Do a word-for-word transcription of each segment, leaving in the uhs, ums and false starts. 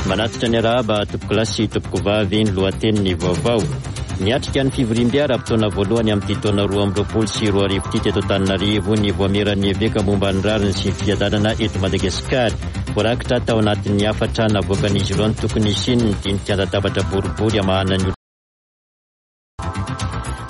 Manatitra ny arahaba tompokolahy sy tompokovavy ny lohatenin'ny vaovao. Niatrika ny fivoriambe ara-potoana voalohany amin'ity taona roa amby roapolo sy roa arivo ity teto Antananarivo ny Vaomieran'ny Eveka momba ny rariny sy ny fiadanana eto Madagasikara. Voarakitra tao anatin'ny hafatra navoakan'izy ireo ny tokony hisian'ny dinika an-databatra boribory hamahana ny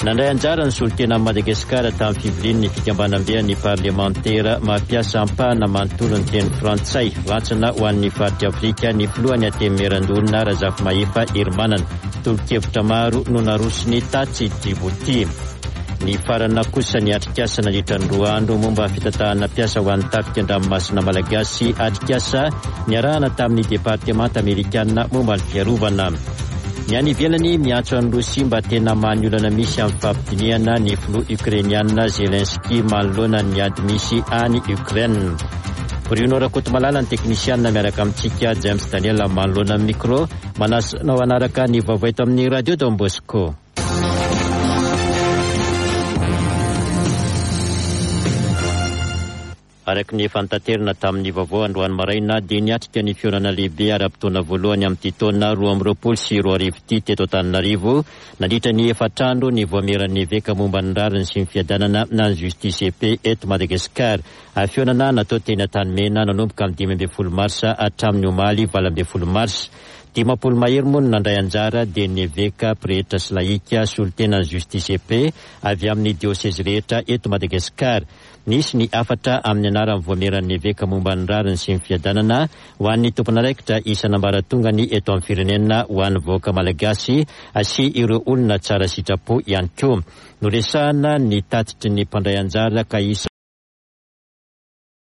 Nandray anjara ny solontenan'i Madagasikara tamin'ny fivorian'ny fikambanamben'ny parlemantera mampiasa ampahana manontolo ny teny frantsay. Rantsana ho an'ny faritra Afrika ny filohan'ny Antenimierandoholona Razafimahefa Herimanana. Tolo-kevitra maro no narosony tatsy Djibouti. Nifarana kosa ny atrikasa nandritra ny roa andro momba ny fitantanana mpiasa ho an'ny tafika an-dranomasina malagasy, atrikasa niarahana tamin'ny departemanta amerikana momba ny fiarovana. Ny any ivelany, miantso an'i Rosia mba tena hamaha ny olana misy amin'ny fampidinihana ny filoha ukrainiana Zelensky manoloana ny ady misy any Ukraine. Bruno Rakotomalala ny teknisianina miaraka amintsika, James Daniel manoloana ny micro, manasa anao hanaraka ny vaovao eto amin'ny Radio Don Bosco. Araka ny efa notaterina tamin'ny vaovao androany maraina dia niatrika ny fihaonana lehibe ara-potoana voalohany amin'ity taona roa amby roapolo sy roa arivo ity teto Antananarivo nandritra ny efatra andro ny Vaomieran'ny Eveka momba ny rariny sy ny fiadanana na ny Justice et Paix eto Madagasikara. Fihaonana natao teny Antanimena nanomboka amin'ny dimy ambin'ny folo marsa hatramin'ny omaly valo ambin'ny folo marsa. Dimampolo mahery moa no nandray anjara dia ny eveka, pretra sy lahika, solontenan'ny Justice et Paix avy amin'ny diosezy rehetra eto Madagasikara. Nisy ny hafatra amin'ny anaran'ny Vaomieran'ny Eveka momba ny rariny sy ny fiadanana ho an'ny tompon'andraikitra isan'ambaratongany eto amin'ny firenena, ho an'ny vahoaka malagasy sy ireo olona tsara sitrapo ihany koa. Noresahana ny tatitry ny mpandray anjara ka isan'ny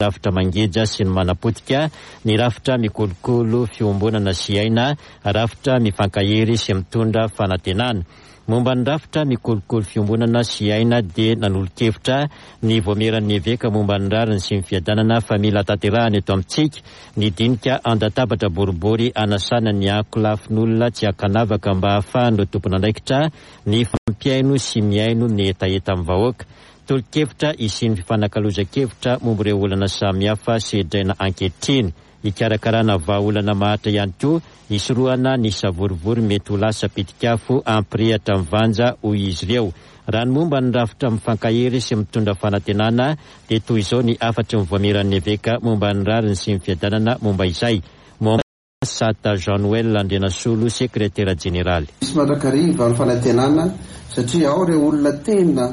rafitra mangeja sy ny manapotika, ny rafitra mikolokolo fiombonana sy aina, rafitra mifankahery sy mitondra fanantenana. Momba ny rafitra mikolokolo fiombonana sy aina dia nanolo-kevitra ny Vaomieran'ny Eveka momba ny rariny sy ny fiadanana fa mila tanterahana eto amintsika ny dinika an-databatra boribory hanasana ny ankolafin'olona tsy ankanavaka mba hahafahan'ireo tompon'andraikitra ny fampihaino sy mihaino ny hetahetan'ny vahoaka. Tolo-kevitra hisian'ny fifanakalozan-kevitra momba ireo olana samihafa sedraina ankehitriny. Hikarakarana vahaolana maharitra ihany koa hisorohana ny savorovoro mety ho lasa pitik'afo hampirehitra ny vanja, hoy izy ireo. Raha ny momba ny rafitra mifankahery sy mitondra fanantenana dia toy izao ny hafatry ny Vaomieran'ny Eveka momba ny rariny sy ny fiadanana momba izay. Momba Sata Jean Noël Andrianasolo, sekretera jeneraly. Misy mandrakariva ny fanantenana satria ao ireo olona tena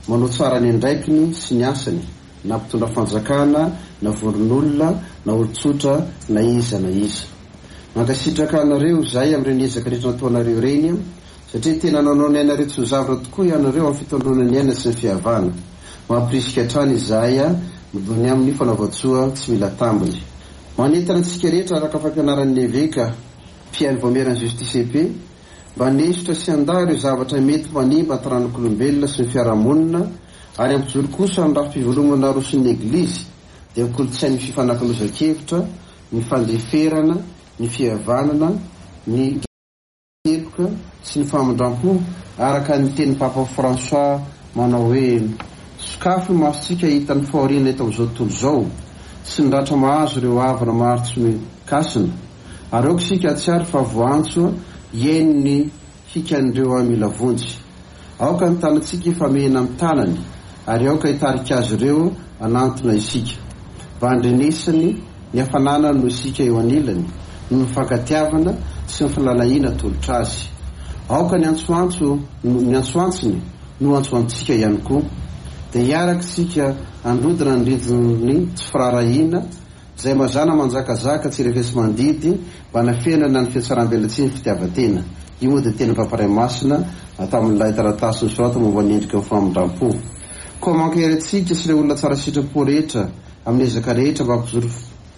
manao tsara ny andraikiny sy ny asany, na mpitondra fanjakana, na vondron'olona, na olon-tsotra, na iza na iza. Mankasitraka anareo izahay amin'ireny ezaka rehetra nataonareo ireny, satria tena nanao ny ainareo tsy ho zavatra tokoa ianareo amin'ny fitondroana ny aina sy ny fihavana. Mampirisika hatrany izahay ny amin'ny fanaovan-tsoa tsy mila tambiny. Manentana antsika rehetra araka ny fampianaran'ny Eveka mpihaino Vaomieran'ny Justice et Paix mba hanesotra sy handà ireo zavatra mety manimba ny taranak'olombelona sy ny fiarahamonina ary hampijoro kosa ny rafi-pivelomana aroson'ny Eglizy dia ny kolontsain'ny fifanakalozan-kevitra, ny fandeferana, ny fihavanana, ny heloka sy ny famindram-po araka ny tenin'ny Papa François manao hoe sokafy ny masontsika hahita ny fahoriana eto amin'izao tontolo izao sy ny ratra mahazo ireo havana maro tsy mikasina ary aoka isika hahatsiaro fa voantso hihaino ny hikan'ireo mila vonjy. Aoka ny tanantsika hifamehina amin'ny tanany ary aoka hitarika azy ireo hanantona isika mba handrenesany ny hafanana noho isika eo anilany noho ny fankatiavana sy ny filalahiana atolotra azy. Aoka ny antsoantso ny antsoantsony no antsoantsika ihany koa. Dia hiaraka isika handrodana ny rindrin'ny tsy firaharahiana izay mazàna manjakazaka tsy refesi-mandidy mba hanafenana ny fihatsarambelatsihy ny fitiavan-tena. Io moa dia tenin'ny Papa Ray Masina tamin'ilay taratasy nosoratany momba ny endriky ny famindram-po. Koa mankahery antsika sy ireo olona tsara sitrapo rehetra amin'ny ezaka rehetra mba hampijoro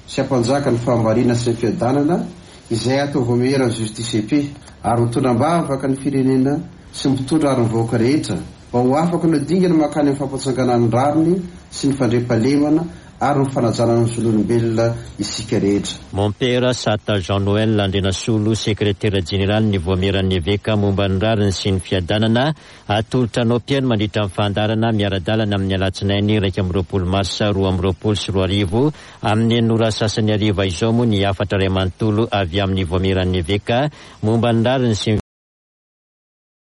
sy hampanjaka ny fahamarinana sy ny fiadanana izay atao Vaomieran'ny Justice et Paix ary mitondra am-bavaka ny firenena sy ny mpitondra ary ny vahoaka rehetra mba ho afaka hanao dingana mankany amin'ny fampitsanganana ny rariny sy ny fandriampahalemana ary ny fanajana ny zon'olombelona isika rehetra. Mompera Sata Jean Noël Andrianasolo, sekretera jeneraly ny Vaomieran'ny Eveka momba ny rariny sy ny fiadanana, atolotra anao mpihaino mandritra ny fandaharana miara-dalana amin'ny alatsinainy iraika amby roapolo marsa roa amby roapolo sy roa arivo amin'ny enina ora sasany hariva izao moa ny hafatra iray manontolo avy amin'ny Vaomieran'ny Eveka momba ny rariny sy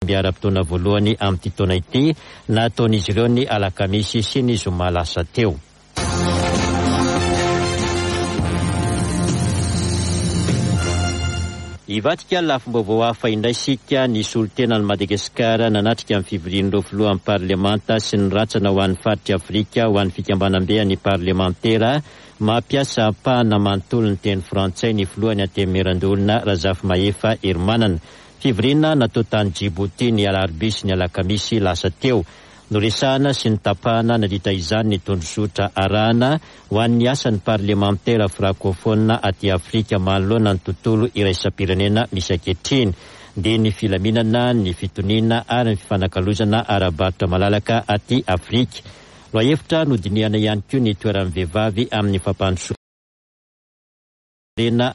ny ara-potoana voalohany amin'ity taona ity nataon'izy ireo ny alakamisy sy ny zoma lasa teo. Hivadika lafim-baovao hafa indray isika. Ny solontenan'i Madagasikara nanatrika ny fivorian'ireo filohan'ny parlemanta sy ny rantsana ho an'ny faritra Afrika ho an'ny fikambanambe ny parlemantera mampiasa ampahana manontolo ny teny frantsay ny filohan'ny Antenimierandoholona Razafimahefa Herimanana. Fivoriana natao tany Djibouti ny alarobia sy ny alakamisy lasa teo. Noresahana sy nitapahana nandritra izany ny tondrozotra arahana ho an'ny asan'ny parlemantera frankofona aty Afrika manoloana ny tontolo iraisam-pirenena misy ankehitriny, dia ny filaminana, ny fitoniana ary ny fifanakalozana ara-barotra malalaka aty Afrika. Lohahevitra nodinihana ihany koa ny toeran'ny vehivavy amin'ny fampandrosoana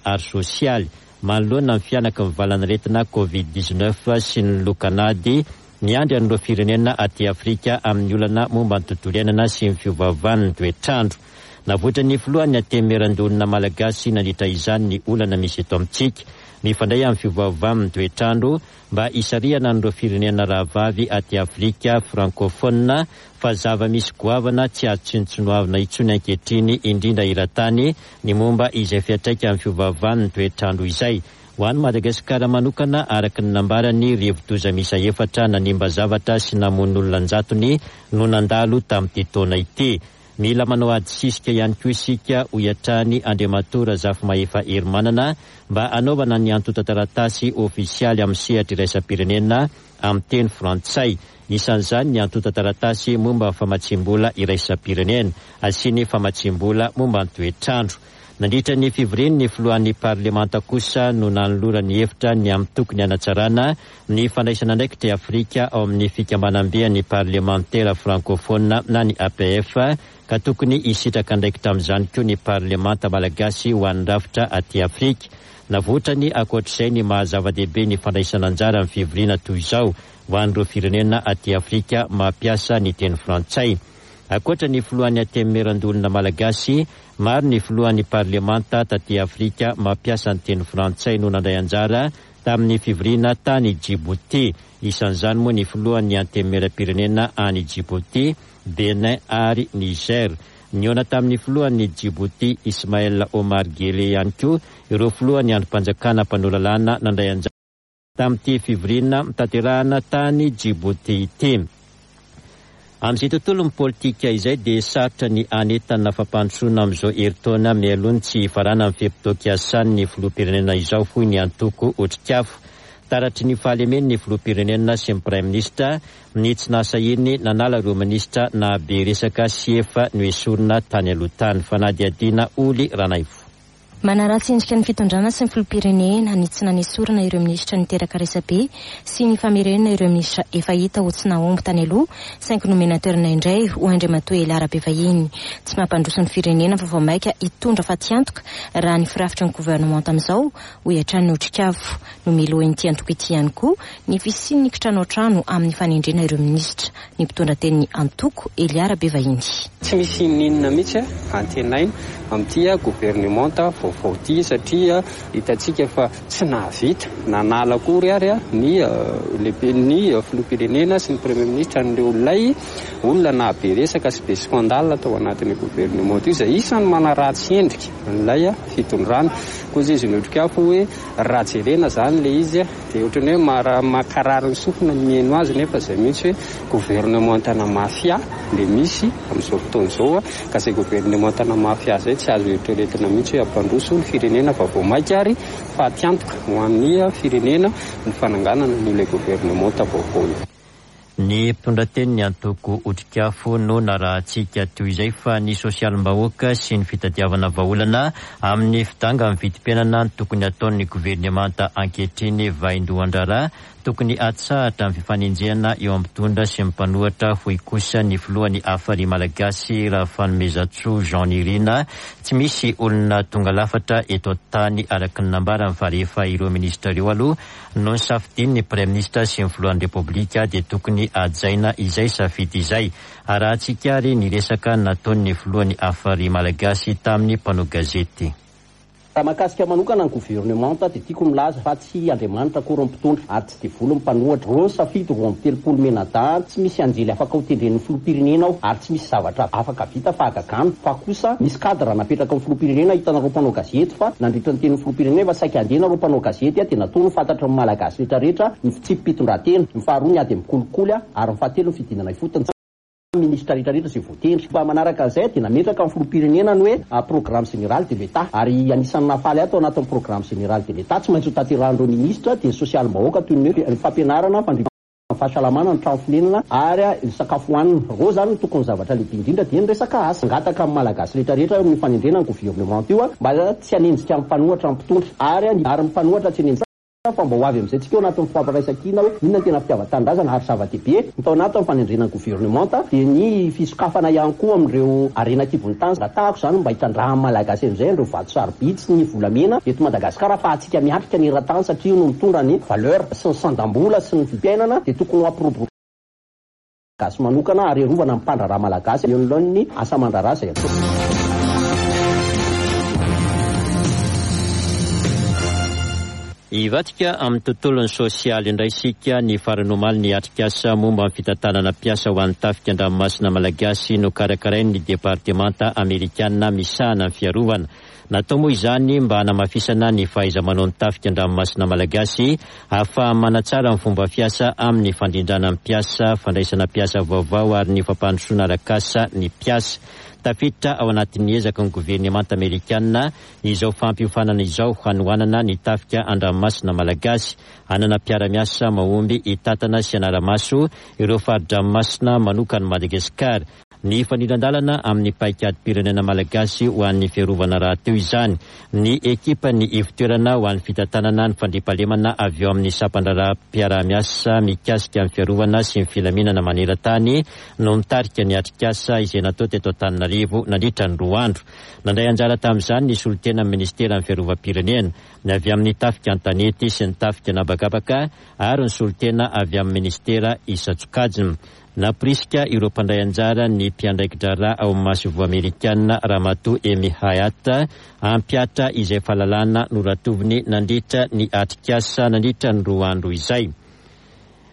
ary sosialy manoloana ny fianaky ny valanaretina covid dix-neuf sy ny lokanady miandry an'ireo firenena aty Afrika amin'ny olana momba ny tontolo iainana sy ny fiovaovan'ny toetrandro. Navoitra ny filohan'ny Antenimierandoholona malagasy nandritra izany ny olana misy eto amintsika mifandray amin'ny fiovaovan'ny toetrandro mba hisarihana an'ireo firenena rahavavy aty Afrika frankofona fa zava-misy goavana tsy azo tsinontsinoavina intsony ankehitriny indrindra eran-tany ny momba izay fiantraika amin'ny fiovaovan'ny toetrandro izay. Ho an'i Madagasikara manokana, araka ny nambarany, rivodoza miisa efatra nanimba zavatra sy namono olona an-jatony no nandalo tamin'ity taona ity. Mila manao ady sisika ihany koa isika, hoy hatrany Andriamatoa Razafimahefa Herimanana, mba hanaovana ny antontan-taratasy ofisialy amin'ny sehatra iraisam-pirenena amin'ny teny frantsay. Isan'izany ny antontan-taratasy momba ny famatsiam-bola iraisam-pirenena sy ny famatsiam-bola momba ny toetrandro. Nandritra ny fivorian'ny filohan'ny parlemanta kosa no nanolorany hevitra ny amin'ny tokony hanatsarana ny fandraisana andraikitra Afrika ao amin'ny fikambanambe ny parlemantera frankofona na ny A P F, ka tokony hisitraka andraikitra amin'izany koa ny parlemanta malagasy ho an'ny rafitra aty Afrika. Navoitrany ankoatr'izay ny maha zava-dehibe ny fandraisana anjara amin'ny fivoriana toy izao ho an'ireo firenena aty Afrika mampiasa ny teny frantsay. Ankoatra ny filohan'ny Antenimierandoholona malagasy, maro ny filohan'ny parlemanta taty Afrika mampiasa ny teny frantsay no nandray anjara tamin'ny fivoriana tany Djibouti. Isan'izany moa ny filohan'ny Antenimieram-pirenena any Djibouti, Benin ary Niger. Nihaona tamin'ny filohan'ny Djibouti Ismaël Omar Guelleh ihany koa ireo filohan'ny andrim-panjakana mpanao lalàna nandray anjara tamin'ity fivoriana tanterahana tany Djibouti ity. Amin'izay tontolon'ny politika izay dia sarotra ny anetana fampandrosoana amin'izao herintaona mialoha ny tsy hifaranan'ny fe-potoam-piasan'ny filoham-pirenena izao, hoy ny antoko Otrikafo. Taratry ny fahalemen'ny filoham-pirenena sy ny praiminisitra ny tsy nahasahiany nanala ireo minisitra nahabe resaka sy efa noesorina tany aloha tany. Fanadihadiana Oly Ranaivo. Manaratsy endrika ny fitondrana sy ny filoham-pirenena ny tsy nanesorana ireo minisitra niteraka resabe sy ny famerenana ireo minisitra efa hita ho tsy nahomby tany aloha, saingy nomena toerana indray ho Andriamatoa Elia Rabevahiny. Tsy mampandroso ny firenena fa vao mainka hitondra fatiantoka raha ny firafitry ny governemanta amin'izao, hoy hatrany ny Otrikafo. Nomelohin'ity antoko ity ihany koa ny fisian'ny kitranoantrano amin'ny fanendrena ireo minisitra. Ny mpitondra tenin'ny antoko Elia Rabevahiny. Tsy misy n'inona mihitsy antenaina amin'ity governemanta vaovao ity, satria hitantsika fa tsy nahavita nanala akory ary ny lehiben'ny filoham-pirenena sy ny premier ministre an'ireo olona olona nahabe resaka sy be scandale tao anatin'ny governemanta io, izay isan'ny manaratsy endrika an'ilay fitondrana. Koa izy ny Otrikafo hoe raha jerena zany ilay izy dia ohatran'ny hoe mara-, mankarary ny sofina ny mihaino azy, nefa izay mihitsy hoe governemantana mafia ilay misy amin'izao fotoana izao, ka izay governemantana mafia izay tsy azo eritreretina mihitsy hoe hampandroso ny firenena fa vao mainka ary fatiantoka ho an'ny firenena ny fananganana an'ilay governemanta vaovao io. Ny mpitondra teny ny antoko Otrikafo no narahantsika toy izay, fa ny sosialim-bahoaka sy ny fitadiavana vahaolana amin'ny fidangan'ny vidim-piainana ny tokony ataon'ny governemanta ankehitriny. Vaindohan-draharaha tokony atsahatra amin'ny fifanenjehana eo amin'ny mpitondra sy ny mpanohitra, hoy kosa ny filohan'ny Hafari Malagasy Rafanomezantsoa Jean Nirina. Tsy misy olona tonga lafatra eto an-tany araka ny nambarany, fa rehefa ireo minisitra ireo aloha no nisafidian'ny praiminisitra sy ny filohan'ny Repoblika dia tokony hajaina izay safidy izay. Arahantsika ary ny resaka nataon'ny filohan'ny Hafari Malagasy tamin'ny mpanao gazety. Raha mahakasika manokana ny governemanta dia tiako milaza fa tsy Andriamanitra akory ny mpitondra ary tsy devoly ny mpanohitra. Reo ny safidy roa amby telopolo menadahy, tsy misy anjely afaka ho tendren'ny filoham-pirenena ao ary tsy misy zavatra afaka vita fahagagana, fa kosa misy cadre napetraka amin'ny filoham-pirenena. Hitanareo mpanao gazety fa nandritra ny tenin'ny filoham-pirenena efa saika andeha nareo mpanao gazety dia natao ny fantatra ny Malagasy rehetrarehetra ny fitsipi-pitondran-tena, ny faharoa ny ady amin'ny kolikoly ary ny fahatelo ny fidinana ifotony. Ministra rehetrarehetra izay voatendry fa manaraka an'izay dia nametraka ny filoham-pirenena ny hoe programme général de l'État, ary anisan'ny nahafaly ahy tao anatin'ny programme général de l'État tsy maintsy ho tanterahan'ireo ministra dia ny sosialim-bahoaka toy ny hoe ny fampianarana, ny fahasalamana, ny trano fonenana ary ny sakafo hohanina. Ireo zany no tokony zavatra lehibe indrindra dia ny resaka asa. Angataka amin'ny Malagasy rehetrarehetra amin'ny fanendrena ny gouvernement io mba tsy hanenjika ny mpanohitra ny mpitondra ary ary ny mpanohitra tsy hanenjika, fa mba ho avy amin'izay tsika ao anatin'ny fampiraisankina hoe inona ny tena fitiavan-tanindrazana. Ary zava-dehibe ny tao anatin'ny fanendrena ny governemanta dia ny fisokafana ihany koa amin'ireo harena an-kibon'ny tany. Angatahako izany mba hitrandrahan'ny Malagasy amin'izay ireo vato sarobidy sy ny volamena eto Madagasikara, fa antsika miatrika ny eran-tany satria io no mitondra ny valeur sy ny sandam-bola sy ny vidim-piainana, dia tokony ho ampiroborobo gasy manokana ary arovana ny mpandraharaha malagasy eo anoloan'ny asa aman-draharaha izay atao. Hivatika amin'ny tontolon'ny sosialy indray isika. Ny farany omaly ny atrikasa momba ny fitantanana mpiasa ho an'ny tafika an-dranomasina malagasy no karakarain'ny departemanta amerikana misahana ny fiarovana. Natao moa izany mba hanamafisana ny fahaiza-manao ny tafika an-dranomasina malagasy ahafahana manatsara ny fomba fiasa amin'ny fandrindrana ny mpiasa, fandraisana mpiasa vaovao ary ny fampandrosoana arak'asa ny mpiasa. Tafiditra ao anatin'ny ezaka ny governemanta amerikana izao fampiofanana izao hanohanana ny tafika an-dranomasina malagasy. Hanana mpiara-miasa mahomby hitantana sy hanara-maso ireo fari-dranomasina manokan'i Madagasikara. Ny fanindran-dalana amin'ny paikadym-pirenena malagasy ho an'ny fiarovana rahateo izany. Ny ekipan'ny ivon-toerana ho an'ny fitantanana ny fandriampahalemana avy eo amin'ny sampan-draharaha-mpiara-miasa mikasika ny fiarovana sy ny filaminana maneran-tany no mitarika ny atrikasa izay natao teto Antananarivo nandritra ny roa andro. Nandray anjara tamin'izany ny solotenan'ny ministeran'ny fiarovam-pirenena, ny avy amin'ny tafika an-tanety sy ny tafika an'habakabaka ary ny solotena avy amin'ny ministera isan-tsokajiny. Nampirisika ireo mpandray anjara ny mpiandraiki-draharaha ao amin'ny masoivoho amerikana Ramatoa Amy Hyatt hampihatra izay fahalalana noratoviny nandritra ny atrikasa nandritra ny roa andro izay.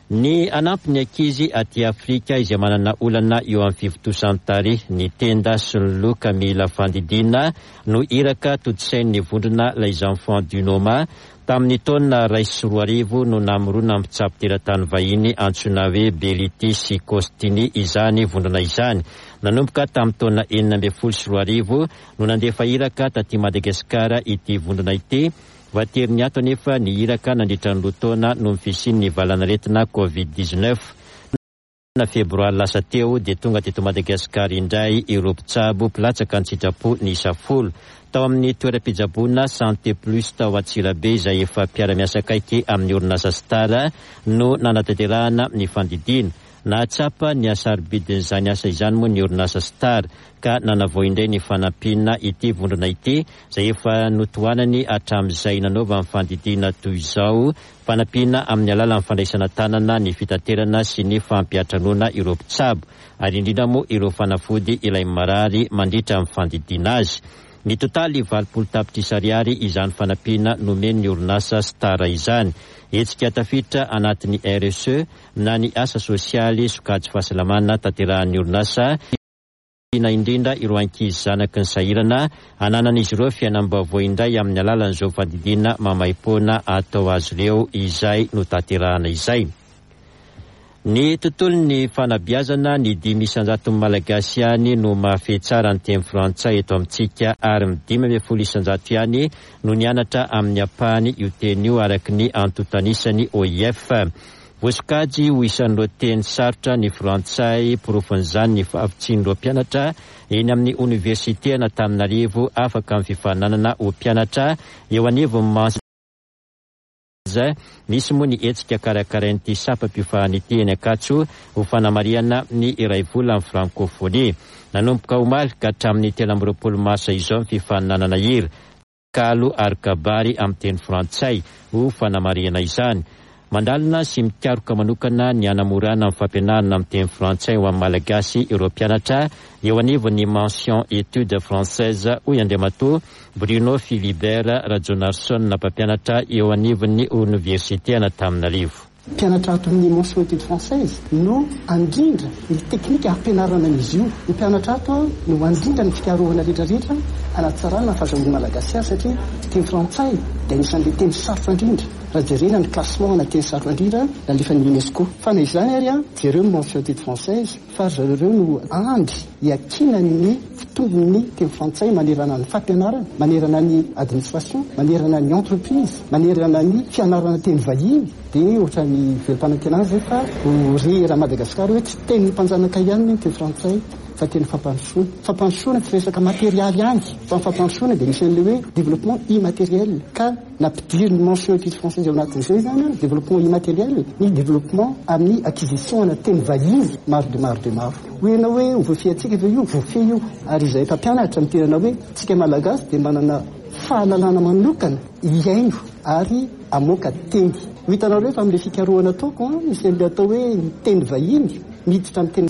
Ny hanampy ny ankizy aty Afrika izay manana olana eo amin'ny fivotosan-tarehy, ny tenda sy ny loha ka mila fandidiana no iraka tontosain'ny vondrona Les Enfants du Noma. Tamin'ny taona iray sy roa arivo no namorona mpitsabo teratany vahiny antsoina hoe Beliti sy Costini izany vondrona izany. Nanomboka tamin'ny taona enina ambin'ny folo sy roa arivo no nandefa iraka taty Madagasikara ity vondrona ity. Voatery niato anefa ny iraka nandritra ny roa taona noho ny fisian'ny valanaretina covid dix-neuf. Na febroary lasa teo dia tonga teto Madagasikara indray ireo mpitsabo mpilatsaka an-tsitrapo niisa folo. Tao amin'ny toeram-pitsaboana Santé Plus tao Antsirabe izay efa mpiara-miasa akaiky amin'ny orinasa Star no nanatanterahana ny fandidiana. Nahatsapa ny hasarobidin'izany asa izany moa ny orinasa Star ka nanavao indray ny fanampiana ity vondrona ity izay efa notohanany hatramin'izay nanaovan'ny fandidiana toy izao, fanampiana amin'ny alalan'ny fandraisana tanana ny fitaterana sy ny fampiantranoana ireo mpitsabo ary indrindra moa ireo fanafody ilay marary mandritra ny fandidiana azy. Ny totaly valopolo tapitrisa ariary izany fanampiana nomen'ny orinasa Star izany. Hetsika tafiditra anatin'ny R S E na ny asa sosialy sokajy fahasalamana tanterahan'ny orinasa, na indrindra ireo ankizy zanaky ny sahirana ananan'izy ireo fiainam-baovao indray amin'ny alalan'izao fandidiana maimaimpoana atao azy ireo izay notanterahana izay. Ny tontolon'ny fanabeazana, ny dimy isan-jaton'ny Malagasy ihany no mahafehy tsara ny teny frantsay eto amintsika ary ny dimy ambin'ny folo isan-jato ihany no nianatra amin'ny ampahany io teny io araka ny antontan'isan'ny O I F. Voasokajy ho isan'ireo teny sarotra ny frantsay, porofon'izany ny fahavitsian'ireo mpianatra eny amin'ny oniversite an'Antananarivo afaka amin'ny fifaninanana ho mpianatra eo anivon'ny mention. Misy moa ny hetsika karakarain'ity sampam-piofanana ity eny Ankatso ho fanamarihana ny iray volan'ny frankofonia. Nanomboka omaly ka hatramin'ny telo amby roapolo marsa izao ny fifaninanana hira, kalo ary kabary amin'ny teny frantsay ho fanamarihana izany. Mandalina sy mikaroka manokana ny hanamorana ny fampianarana amin'ny teny frantsay ho an'ny Malagasy ireo mpianatra eo anivon'ny mention études françaises, hoy Andriamatoa Bruno Philibert Rajaonarison, mpampianatra eo anivon'ny oniversite an'Antananarivo. Mpianatra ato amin'ny mention études françaises no andrindra ny teknika hampianarana an'izy io. Ny mpianatra ato no andrindra ny fikarohana rehetrarehetra hanatsarana ny fahazahoan'ny Malagasy azy, satria teny frantsay dia anisan'ilay teny sarotra indrindra raha jerena ny classement na teny sarotra indrindra nalefan'ny UNESCO. Fa na izany ary, jereo ny mention études françaises fa ry zareo no andry iakinany fitombon'ny teny frantsay manerana ny fampianarana, manerana ny administration, manerana ny entreprise, manerana ny fianarana teny vahiny. Dia ohatrany velom-panantenana zay fa ho re raha Madagasikara hoe tsy tenin'ny mpanjanaka ihany ny teny frantsay fa teny fampandrosoana. Fampandrosoana tsy resaka materialy ihany fa ny fampandrosoana dia misy an'ilay hoe développement immatériel, ka nampidiriny mention études françaises ao anatin'izay zany développement immatériel, ny développement amin'ny acquisition na teny vahiny maro de maro de maro. Hoe ianao hoe ho voafehintsika ve io? Voafehy io. Ary izay mpampianatra mitenana hoe tsika Malagasy dia manana fahalalana manokana hiaino ary amoaka teny. Ho hitanareo fa amin'ilay fikarohana ataoko, misy an'ilay atao hoe ny teny vahiny miditra amin'ny teny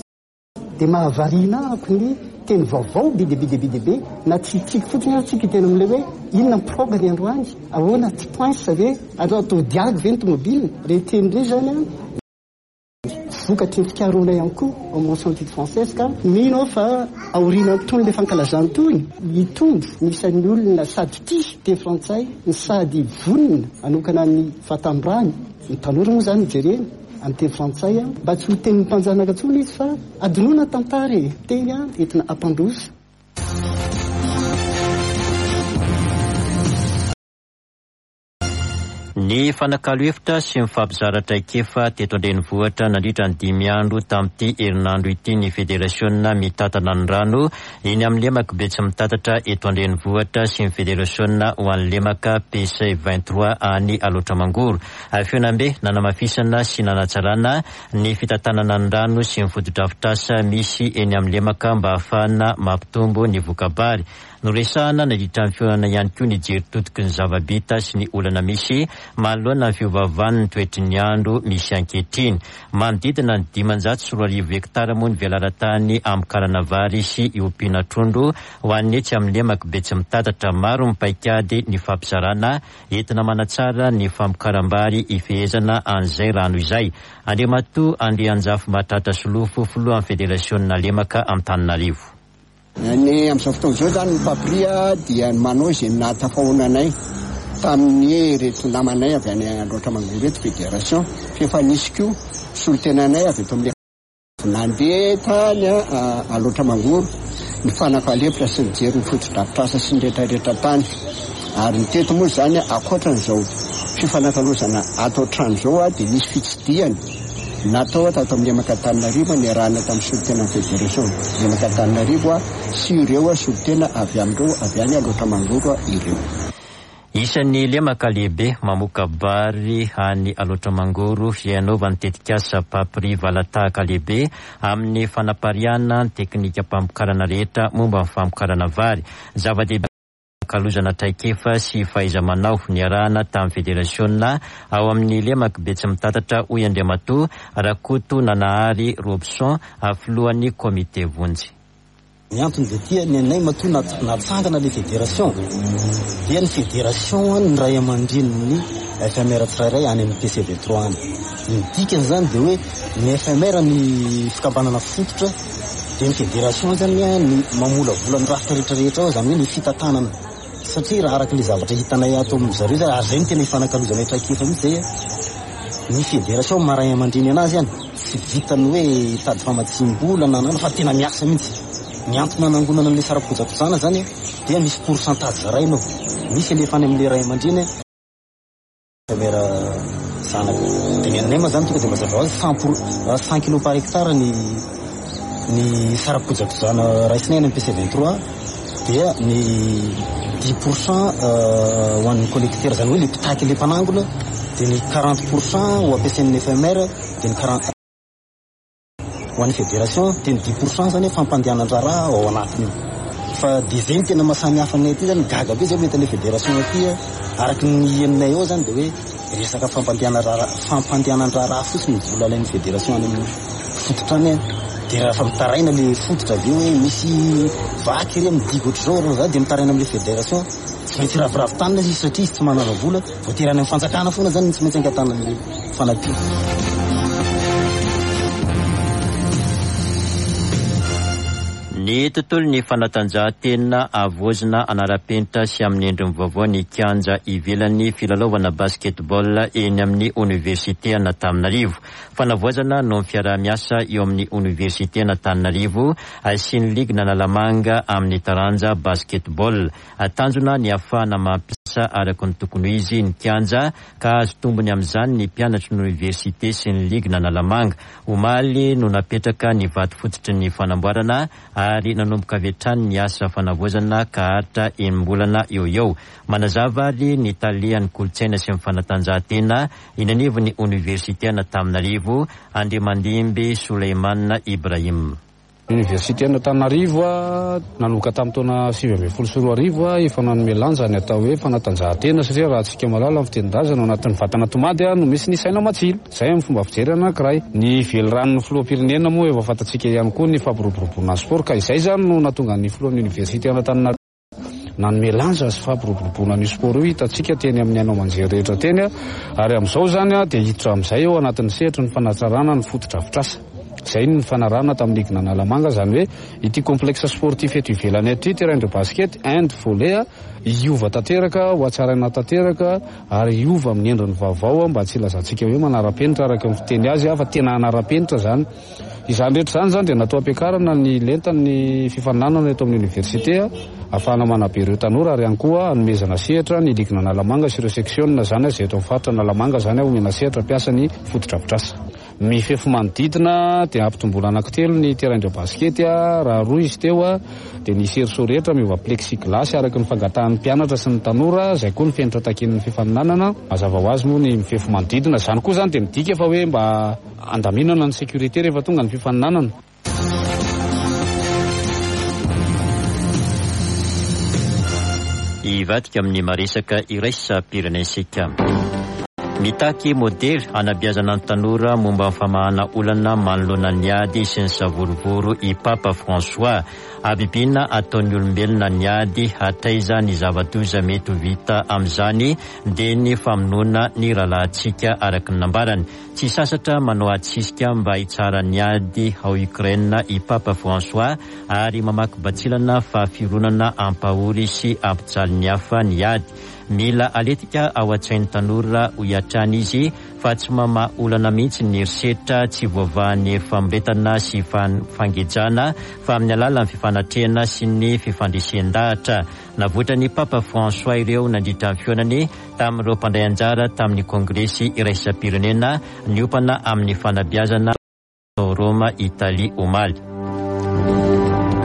dia mahavariana ako ny teny vaovao be dia be dia be dia be, na tsy tsika fotsiny ary tsika tena amin'ilay hoe inona ny prog ny androany, ahoana tsy poince ve, atao atao diagy ve ny tomobile. Ireny teny ireny zany a vokatry ny fikarohana ihany koa ao mention études françaises, ka mino aho fa aoriana tony le fankalazana tony hitombo ny isan'ny olona sady tia teny frantsay ny sady vonona anokana ny fahatamborany. Ny tanora moa zany jerena amin'ny teny frantsay mba tsy ho tenin'ny mpanjanaka intsony izy fa adinoana tantara e, teny a entina ampandroso. Ny fanakalo hevitra sy mifampizara traikefa teto an-drenivohitra nandritra ny dimy andro tamin'ity herinandro ity ny federasiona mitantana ny rano eny amin'ny lemaka Betsimitatatra eto an-drenivohitra sy ny federasiona ho an'ny lemaka P C vingt-trois any Alaotra Mangoro. Fihaonambe nanamafisana sy nanatsarana ny fitantanana ny rano sy ny fotodrafitrasa misy eny amin'ny lemaka mba ahafahana mampitombo ny vokabary. Noresahana nandritra ny fihaonana ihany koa ny jery todiky ny zava-bita sy ny olana misy manoloana ny fiovaovan'ny toetry ny andro misy ankehitriny. Manodidina ny dimanjato sy roa arivo hektara moa ny velaran-tany amokarana vary sy iompiana trondro ho an'ny etsy amin'ny lemaka Betsimitatatra. Maro ny paikady ny fampizarana entina manatsara ny famokaram-bary ifehezana an'izay rano izay. Andriamatoa Andrianjafy Mahatratra Solofo, filohan'ny federasiona lemaka Antananarivo. Ny amin'izao fotoana izao zany ny PAPRI dia manao izay nahatafahoananay tamin'ny reto namanay avy any Alaotra Mangoro eto fédération, fa efa nisy koa solontenanay avy eto amin'ny nandeha tany Alaotra Mangoro ny fanakalo-hevitra sy nijery ny fotodrafitrasa sy ny rehetrarehetra tany. Ary ny teto moa zany, ankoatran'izao fifanakalozana ato an-trano zao a, dia nisy fitsidihana natao tato amin'ny lemaka Antananarivo niarahana tamin'ny solontena fédération lemaka Antananarivo a sy ireo a solontena avy amin'ireo avy any Alaotra Mangoro ireo. Isan'ny lemaka lehibe mamoka bary any Alaotra Mangoro hianaovan'ny tetikasa PAPRI valatahaka lehibe amin'ny fanapariahana ny teknika mpamokarana rehetra momba ny famokarana vary. Zava-dehibe kalozana traikefa sy fahaiza-manao niarahana tamin'ny federasiona ao amin'ny lemaka Betsimitatatra, hoy Andriamatoa Rakoto Nanahary Robson, filohan'ny komite vonjy. Ny antony de tia ny anay matoa natsangana le fédération dia ny fédération ny ray aman-dreniny F M R tsirairay any amin'ny P C vingt-trois any. Ny dikany zany de hoe ny F M R ny fikambanana fototra, de ny fédération zany ny mamolavola ny rafitra rehetrarehetra ao, zany hoe ny fitantanana, satria raha araky le zavatra hitanay ato amin'ny zareo zany ary zay no tena ifanakalozanay traikefa mihitsy zay, ny fédération maray aman-dreny anazy any tsy vitany hoe hitady famatsim-bola na fa tena miasa mihitsy. Ny antony nanangonana an'le sara-kojakojana zany dia misy pourcentage zarainao, misy alefa any amin'le ray aman-dreny F M R. zanaka. Dia ny anay moa zany tonga dia mazava ho azy cent pour cent kilo par hectare ny ny sara-kojakojana raisinay any amin'ny P C vingt-trois, dia ny dix pour cent ho an'ny collecteur, zany hoe le mpitaky le mpanangona, dia ny quarante pour cent ho ampiasain'ny F M R, dia ny quarante ho an'ny fédération, dia ny dix pour cent zany fampandehanan-draharaha ao anatiny. Fa dia zay ny tena mahasamihafa anay aty zany, gaga be zay mahita an'ilay fédération aty, araka ny henonay ao zany dia hoe resaka fampandehanan-draharaha, fampandehanan-draharaha fotsiny ny vola alain'ny fédération any amin'ny fototra any. Dia rehefa mitaraina le fototra avy eo hoe misy vaky ry amin'ny digo ohatr'izao, raha za dia mitaraina amin'ilay fédération, tsy maintsy raviravy tanana izy satria izy tsy manana vola, voatery any amin'ny fanjakana foana zany tsy maintsy angatahana ny fanampiana. Ny tontolo ny fanatanjahantena avoazina anara-penitra sy amin'ny endriny vaovao ny kianja ivelan'ny filalaovana basketball eny amin'ny oniversite Antananarivo. Fanavoazana no fiaraha-miasa eo amin'ny oniversite Antananarivo sy ny ligue Analamanga amin'ny taranja basketball. Tanjona ny ahafahana mampiasa araka ny tokony ho izy ny kianja ka azo tombony amin'izany ny mpianatry ny oniversite sy ny ligue Analamanga. Omaly no napetraka ny vato fototry ny fanamboarana ary nanomboka avy hatrany ny asa fanavoazana ka haharitra enim-bolana eo eo. Manazava ary ny talehan'ny kolontsaina sy ny fanatanjahantena eny anivon'ny oniversite Antananarivo, Andriamandimby Soleimana Ibrahim. Université Antananarivo nanomboka tamin'ny taona sivy ambin'ny folo sy roa arivo efa nanome lanja ny atao hoe fanatanjahantena, satria raha antsika mahalala ny fitenin-drazana ao anatin'ny vatana tomady no misy ny saina matsilo. Izay amin'ny fomba fijery anankiray. Ny veliranon'ny filoham-pirenena moa efa fantatsika ihany koa ny fampiroboroboana ny sport, ka izay zany no nahatonga ny filohan'ny université Antananarivo nanome lanja sy fampiroboroboana ny sport io hitantsika teny amin'ny haino aman-jery rehetra teny, ary amin'izao zany dia hiditra amin'izay eo anatin'ny sehatry ny fanatsarana ny fotodrafitrasa. Izay ny fanarahana tamin'ny ligue Analamanga, zany hoe ity complexe sportif eto ivelany aty, terrain de basket, hand, volley, hiova tanteraka, ho hatsaraina tanteraka ary hiova amin'ny endriny vaovao mba tsy hilazantsika hoe manara-penitra araka ny fiteny azy, fa tena hanara-penitra zany. Izany rehetra izany zany dia natao ampiakarana ny lentan'ny fifaninanana eto amin'ny université ahafahana manabe ireo tanora, ary ihany koa hanomezana sehatra ny ligue Analamanga sy ireo section zany izay eto amin'ny faritra Analamanga zany omena sehatra mpiasa ny fotodrafitrasa. Mifefy manodidina dia ampitomboana anankitelo ny terrain de basket, raha roa izy teo dia ny cerceau rehetra miova plexiglas araka ny fangatahan'ny mpianatra sy ny tanora, izay koa ny fenitra takian'ny fifaninanana. Mazava ho azy moa ny mifefy manodidina izany koa zany dia midika fa hoe mba andaminana ny sécurité rehefa tonga ny fifaninanana. Hivadika amin'ny maresaka iraisam-pirenentsika. Mitaky modely anabeazana ny tanora momba ny famahana olana manoloana ny ady sy ny savorovoro i Papa François. Habibiana ataon'ny olombelona ny ady, hataiza ny zava-doza mety ho vita amin'izany dia ny famonoana ny rahalahintsika araka ny nambarany. Tsy sasatra manao atsisika mba hitsara ny ady ao Ukraine i Papa François ary mamaky batsilana fa fironana ampahory sy ampijaly ny hafa ny ady. Mila aletika ao an-tsain'ny tanora hoy hatrany izy fa tsy mamaha olana mihitsy ny herisetra tsy voavahan'ny famoretana sy fangejana fa amin'ny alalan'ny fifanatrehana sy ny fifandresen-dahatra. Navoitran'ny Papa François ireo nandritra ny fihaonany tamin'ireo mpandray anjara tamin'ny kongresy iraisam-pirenena niompana amin'ny fanabeazana tao Roma, Italie omaly.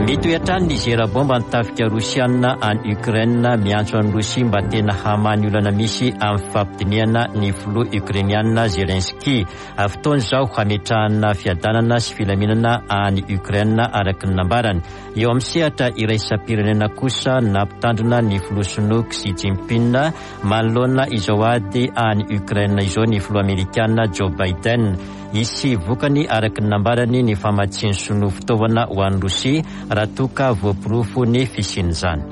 Mitohy hatrany ny zera bomba ny tafika rosiana any Ukraine, miantso an'i Rosia mba tena hamaha ny olana misy amin'ny fampidinihana ny filoha ukrainiana Zelensky. Fotoana izao hametrahana fiadanana sy filaminana any Ukraine araka ny nambarany. Eo amin'ny sehatra iraisam-pirenena kosa nampitandrina ny filoha sinoa Xi Jinping manoloana izao ady any Ukraine izao ny filoha amerikana Joe Biden. Hisy vokany araka ny nambarany ny famatsian'ny sinoa fitaovana ho an'i Rosia raha toa ka voaporofo ny fisian'izany.